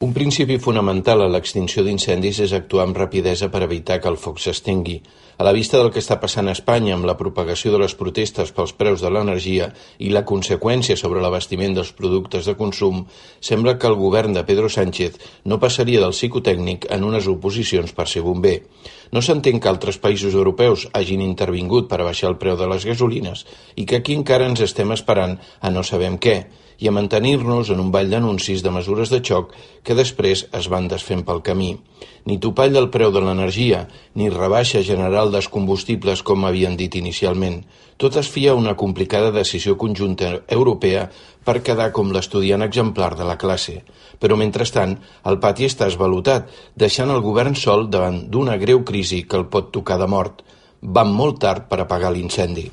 Un principi fonamental a l'extinció d'incendis és actuar amb rapidesa per evitar que el foc s'estengui. A la vista del que està passant a Espanya amb la propagació de les protestes pels preus de l'energia i la conseqüència sobre l'abastiment dels productes de consum, sembla que el govern de Pedro Sánchez no passaria del psicotècnic en unes oposicions per ser bomber. No s'entén que altres països europeus hagin intervingut per abaixar el preu de les gasolines i que aquí encara ens estem esperant a no sabem què, i a mantenir-nos en un ball d'anuncis de mesures de xoc que després es van desfent pel camí. Ni topall del preu de l'energia, ni rebaixa general dels combustibles com havien dit inicialment. Tot es fia a una complicada decisió conjunta europea per quedar com l'estudiant exemplar de la classe. Però mentrestant, el pati està esvalotat, deixant el govern sol davant d'una greu crisi que el pot tocar de mort. Van molt tard per apagar l'incendi.